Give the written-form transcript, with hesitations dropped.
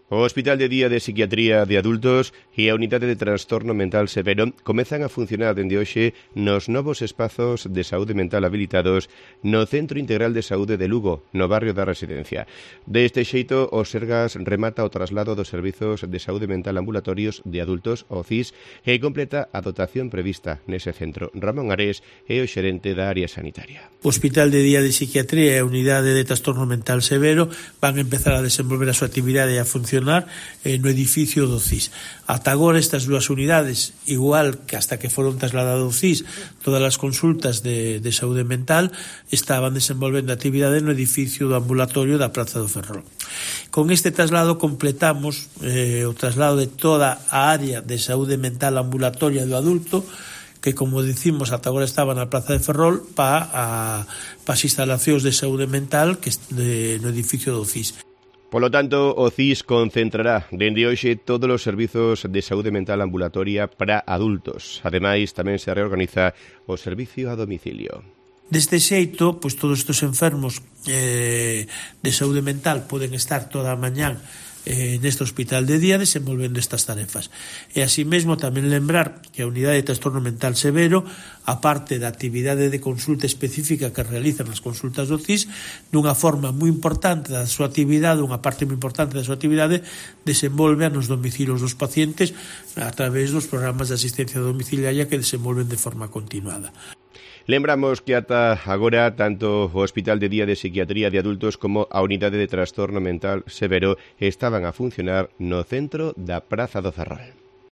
O Hospital de Día de Psiquiatría de Adultos e a Unidade de Trastorno Mental Severo comezan a funcionar dende hoxe nos novos espazos de saúde mental habilitados no Centro Integral de Saúde de Lugo, no barrio da Residencia. Deste xeito, o Sergas remata o traslado dos servizos de saúde mental ambulatorios de adultos, o CIS, e completa a dotación prevista nese centro. Ramón Ares é o xerente da área sanitaria. O Hospital de Día de Psiquiatría e a Unidade de Trastorno Mental Severo van empezar a desenvolver a súa actividade e a funcionar no edificio do CIS. Ata agora estas dúas unidades, igual que hasta que foron trasladados ao CIS, todas as consultas de saúde mental estaban desenvolvendo actividade no edificio do ambulatorio da Praza do Ferrol. Con este traslado completamos o traslado de toda a área de saúde mental ambulatoria do adulto, que, como dicimos, ata agora estaba na Praza de Ferrol para as instalacións de saúde mental no edificio do CIS. Polo tanto, o CIS concentrará dende hoxe todos os servizos de saúde mental ambulatoria para adultos. Ademais, tamén se reorganiza o servicio a domicilio. Deste xeito, pois todos estes enfermos de saúde mental poden estar toda a mañán neste hospital de día desenvolvendo estas tarefas. E así mesmo tamén lembrar que a Unidade de Trastorno Mental Severo, a parte da actividade de consulta específica que realizan as consultas do CIS, dunha forma moi importante da súa actividade, unha parte moi importante da súa actividade, desenvolve nos domicilios dos pacientes a través dos programas de asistencia domiciliaria que desenvolven de forma continuada. Lembramos que ata agora tanto o Hospital de Día de Psiquiatría de Adultos como a Unidade de Trastorno Mental Severo estaban a funcionar no centro da Praza do Ferrol.